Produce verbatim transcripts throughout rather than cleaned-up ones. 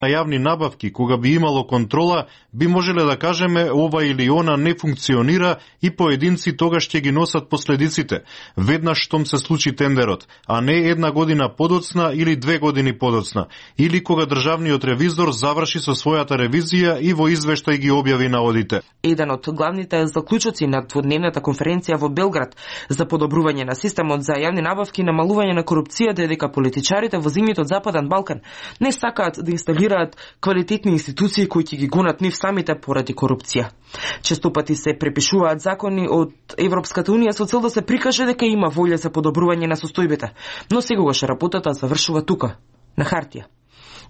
на јавни набавки, кога би имало контрола, би можеле да кажеме ова или она не функционира и поединци тогаш ќе ги носат последиците, веднаш штом се случи тендерот, а не една година подоцна или две години подоцна, или кога државниот ревизор заврши со својата ревизија и во извештај ги објави наодите. Еден од главните заклучоци на дводневната конференција во Белград за подобрување на системот за јавни набавки и намалување на корупцијата е дека политичарите во земјите од Западен Балкан не сакаат да инсталираат квалитетни институции кои ќе ги гонат нив самите поради корупција. Често пати се препишуваат закони од Европската унија со цел да се прикаже дека има волја за подобрување на состојбите, но секогаш работата завршува тука, на хартија.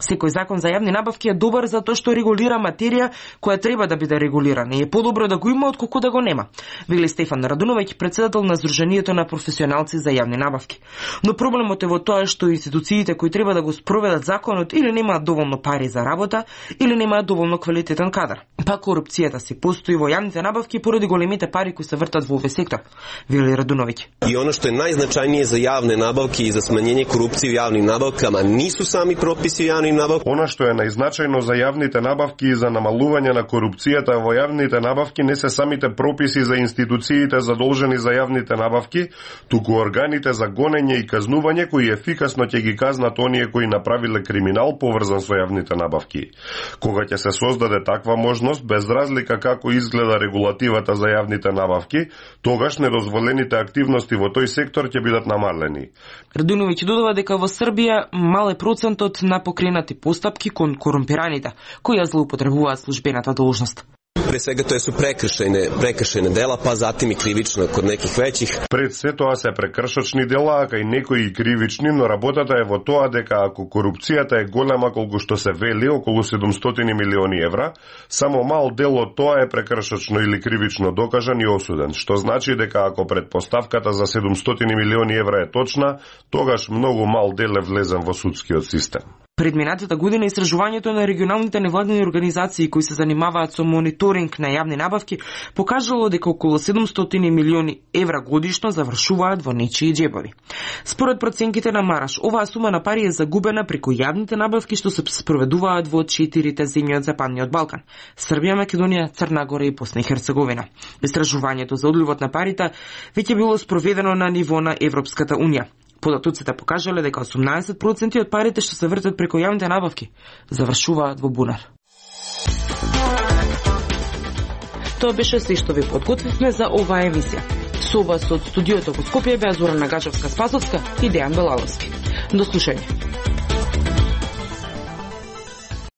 Секој закон за јавни набавки е добар затоа што регулира материја која треба да биде регулирана и е подобро да го има отколку да го нема, вели Стефан Радуновиќ, председател на Сдруженијето на професионалци за јавни набавки. Но проблемот е во тоа што институциите кои треба да го спроведат законот или немаат доволно пари за работа, или немаат доволно квалитетен кадар. Па корупцијата си постои во јавните набавки поради големите пари кои се вртат во овој сектор, вели Радуновиќ. И оно што е најзначајнije за јавне набавки и за смањење корупција во јавни набавки, ама нису сами прописи јавни набавки. Она што е најзначајно за јавните набавки и за намалување на корупцијата во јавните набавки не се самите прописи за институциите задолжени за јавните набавки, туку органите за гонење и казнување кои ефикасно ќе ги казнат оние кои направиле криминал поврзан со јавните набавки. Кога ќе се создаде таква можност, без разлика како изгледа регулативата за јавните набавки, тогаш недозволените активности во тој сектор ќе бидат намалени. Радуновиќ додава дека во Србија мал е процентот на покренати постапки кон корумпираните кои ја злоупотребуваат службената должност. Pre svega to su prekršajne, prekršajne dela, pa zatim i krivično kod nekih većih. Пред се тоа се прекршочни дела, а кај некои и кривични, но работата е во тоа дека ако корупцијата е голема колку што се вели, околу седумстотини милиони евра, само мал дел од тоа е прекршочно или кривично докажан и осуден, што значи дека ако предпоставката за седумстотини милиони евра е точна, тогаш многу мал дел е влезен во судскиот систем. Пред минатата година истражувањето на регионалните невладини организации кои се занимаваат со мониторинг на јавни набавки покажало дека околу седумстотини милиони евра годишно завршуваат во нечии џебови. Според проценките на Мараш, оваа сума на пари е загубена преку јавните набавки што се спроведуваат во четирите земји од Западниот Балкан: Србија, Македонија, Црна Гора и Босна и Херцеговина. Истражувањето за одливот на парите веќе било спроведено на ниво на Европската унија. Податоците покажале дека осумнаесет проценти од парите што се вртат преку јавните набавки завршуваат во бунар. Тоа беше се што ви подготвивме за оваа емисија. Со вас од студиото во Скопје беа Зорана Гачевска-Спасовска и Дејан Белаловски. До слушање.